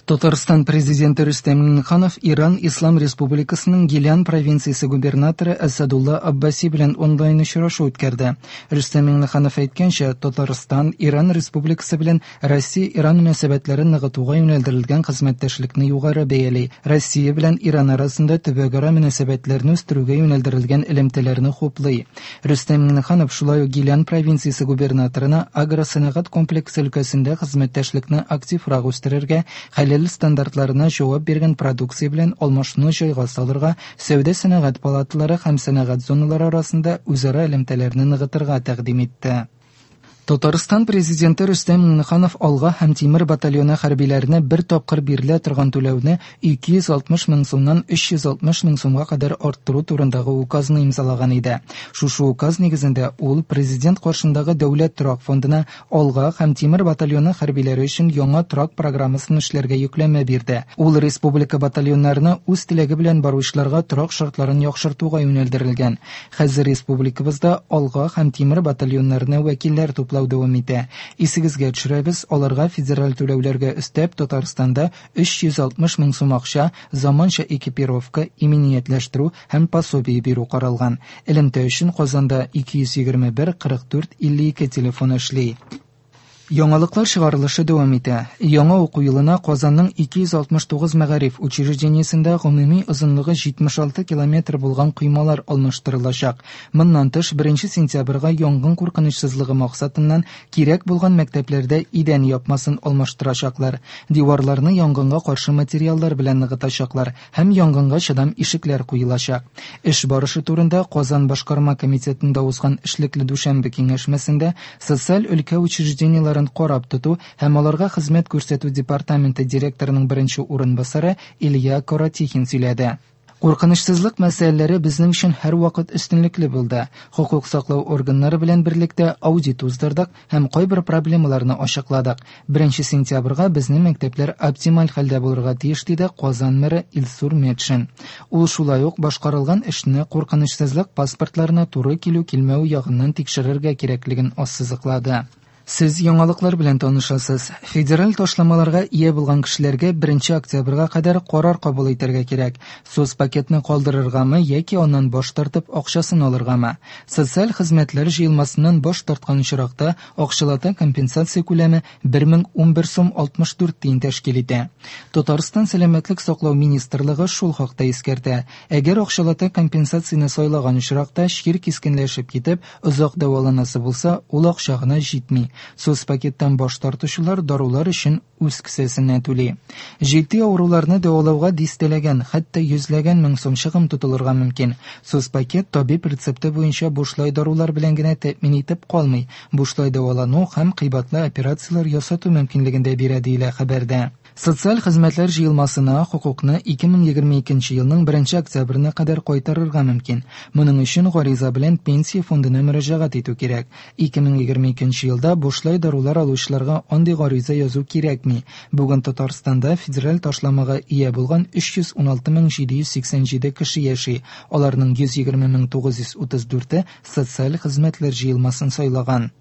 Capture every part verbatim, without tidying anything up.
Татарстан президенты Рөстәм Миңнеханов Иран Ислам Республикасының Гилян провинциясе губернаторы Әсәдулла Аббаси белән онлайн очрашу үткәрде. Рөстәм Миңнеханов әйткәнчә, Татарстан Иран Республикасы белән Россия-Иран мөнәсәбәтләрен ныгытуга юнәлдерелгән хезмәттәшлекне югары бәяли. Россия белән Иран арасында төбәкара мөнәсәбәтләрне үстерүгә юнәлдерелгән элемтәләрне хуплый. Рөстәм Миңнеханов шулай ук Гилян провинциясе губернаторына агросәнәгать комплексы өлкәсендә хезмәттәшлекне активрак үстерергә, хәләл стандартларына җавап биргән продукция белән алмашуны җайга салырга, сәүдә-сәнәгать палаталары һәм сәнәгать зоналары арасында үзара элемтәләрне ныгытырга тәкъдим итте. Татарстан президенты Рөстәм Миңнеханов Алга һәм Тимер батальоны хәрбиләренә бер тапкыр бирелә торган түләүне ике йөз алтмыш мең сумнан өч йөз алтмыш мең сумга кадәр арттыру турындагы указны имзалаган иде. Шушы указ нигезендә ул президент каршындагы дәүләт торак фондына Алга һәм Тимер батальоны хәрбиләре өчен яңа торак программасын эшләргә йөкләмә бирде. Ул республика батальоннарына үз теләге белән баручыларга торак шартларын яхшыртуга юнәлдерелгән. Хәзер республикабызда Алга һәм Тимер батальоннарына вәкилләр туплау дәвам итә. Исегезгә төшерәбез, аларга федераль түләүләргә өстәп Татарстанда өч йөз алтмыш мең сум акча, заманча экипировка, иминиятләштерү һәм пособие бирү каралган. Элемтә өчен Казанда ике йөз егерме бер кырык дүрт илле ике телефон эшли. Яңалыклар чыгарылышы дәвам итә. Яңа уку елына Казанның ике йөз алтмыш тугыз мәгариф учреждениесендә гомуми озынлыгы җитмеш алты километр булган коймалар алмаштырылачак. Моннан тыш, беренче сентябрьгә янгын куркынычсызлыгы максатыннан кирәк булган мәктәпләрдә идән япмасын алмаштырачаклар. Диварларны янгынга каршы материаллар белән ныгытачаклар һәм янгынга чыдам ишекләр куелачак. Эш барышы турында Казан башкарма комитетында узган эшлекле дүшәмбе киңәшмәсендә социаль өлкә учреждениеләрен карап тоту һәм аларга хезмәт күрсәтү департаменты директорының беренче урынбасары Илья Каратихин сөйләде. Куркынычсызлык мәсьәләләре безнең өчен һәрвакыт өстенлекле булды. Хокук саклау органнары белән берлектә аудит уздырдык һәм кайбер проблемаларны ачыкладык. Беренче сентябрьгә безнең мәктәпләр оптималь хәлдә булырга тиеш, диде Казан мэры Илсур Метшин. Ул шулай ук башкарылган эшне куркынычсызлык паспортларына туры килү-килмәү ягыннан тикшерергә кирәклеген ассызыклады. Сез яңалыклар белән танышасыз. Федераль ташламаларга ия булган кешеләргә беренче октябрьгә кадәр карар кабул итәргә кирәк. Соцпакетны калдырыргамы яки аннан баш тартып акчасын алыргамы? Социаль хезмәтләр җыелмасыннан баш тарткан очракта акчалата компенсация күләме бер мең унбер сум алтмыш дүрт тиен тәшкил итә. Татарстан Сәламәтлек саклау министрлыгы шул хакта искәртә. Әгәр акчалата компенсацияне сайлаган очракта чир кискенләшеп китеп, озак дәваланасы булса, ул акча гына җитми. Соцпакеттан баш тартучылар дарулар өчен үз кесәсеннән түли. Җитди авыруларны дәвалауга дистәләгән, хәтта йөзләгән мең сум чыгым тотылырга мөмкин. Соцпакет табиб рецепты буенча бушлай дарулар белән генә тәэмин итеп калмый, бушлай дәвалану һәм кыйбатлы операцияләр ясату мөмкинлеген дә бирә, диелә хәбәрдә. Социаль хезмәтләр җыелмасына хокукны ике мең егерме икенче елның беренче октябренә кадәр кайтарырга мөмкин. Моның өчен гариза белән пенсия фондына мөрәҗәгать итү кирәк. Ике мең егерме икенче елда бушлай дарулар алучыларга андый гариза язу кирәкми. Бүген Татарстанда федераль ташламага ия булган өч йөз уналты мең җиде йөз сиксән җиде кеше яши. Аларның йөз егерме мең тугыз йөз утыз дүрте социаль хезмәтләр җыелмасын сайлаган.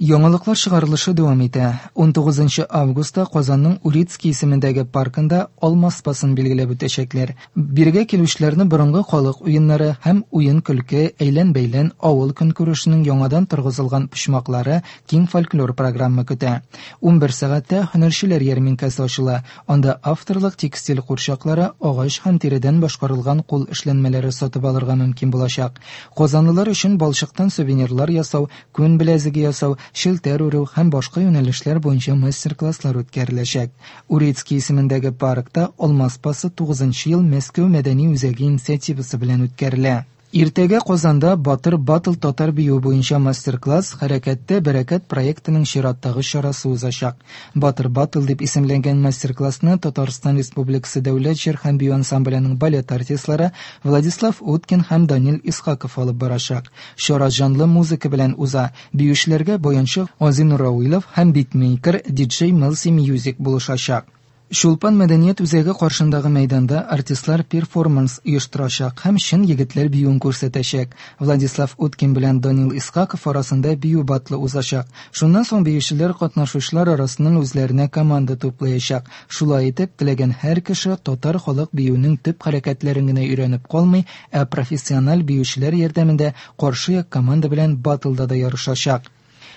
Яңалыклар чыгарылышы дәвам итә. Унтугызынчы августта Казанның Урицкий исемендәге паркында Алма спасын билгеләп үтәчәкләр. Бирегә килүчеләрне борынгы халык уеннары һәм уен-көлке, әйлән-бәйлән, авыл көнкүрешенең яңадан торгызылган почмаклары киң фольклор программа көтә. Унбер сәгатьтә һөнәрчеләр ярминкәсе ачыла. Анда авторлык текстиль курчаклары, агач һәм тиредән башкарылган кул эшләнмәләре сатып алырга мөмкин булачак. Казанлылар өчен балчыктан сувенирлар ясау, күн беләзеге ясау, шелтәр үрү һәм башка юнәлешләр буенча мастер-класслар үткәреләчәк. Урицкий исемендәге паркта Алма спасы тугызынчы ел Мәскәү мәдәни үзәге инициативасы белән үткәрелә. Иртәгә Казанда Батыр Батл татар биюе буенча мастер-класс Хәрәкәттә бәрәкәт проектының чираттагы чарасы узачак. Батыр Батл дип исемләнгән мастер-классны Татарстан Республикасы Дәүләт җыр һәм бию ансамбленең балет артистлары Владислав Уткин һәм Данил Исхаков алып барачак. Чара җанлы музыка белән уза. Биючеләргә баянчы Азинур Рауилов һәм битмейкер диджей Мелси Мьюзик булышачак. Чулпан мәдәният үзәге каршындагы мәйданда артистлар перформанс оештырачак һәм чын егетләр биюен күрсәтәчәк. Владислав Уткин белән Данил Исхаков арасында бию баттлы узачак. Шуннан соң биючеләр катнашучылар арасыннан үзләренә команда туплаячак. Шулай итеп, теләгән һәр кеше татар халык биюенең төп хәрәкәтләрен генә өйрәнеп калмый, ә профессиональ биючеләр ярдәмендә каршы як команда белән баттлда да ярышачак.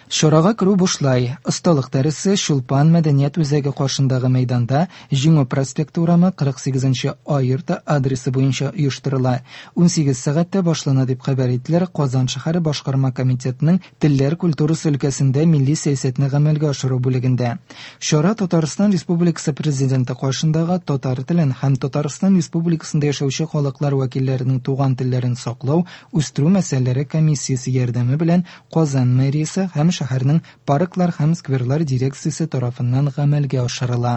Чарага керү бушлай. Осталык дәресе Чулпан мәдәният үзәге каршындагы мәйданда Җиңү проспекты урамы кырык сигезенче А йорты адресы буенча оештырыла. Унсигез сәгатьтә башлана дип хәбәр иттеләр Казан шәһәре башкарма комитетының телләр культурасы өлкәсендә милли сәясәтне гамәлгә ашыру бүлегендә. Чара Татарстан Республикасы Президенты каршындагы татар телен һәм Татарстан Республикасында яшәүче халыклар вәкилләренең туган телләрен саклау, үстерү мәсьәләләре комиссиясе ярдәме белән Казан мэриясе һәм шәһәрнең парклар һәм скверлар дирекциясе тарафыннан гамәлгә ашырыла.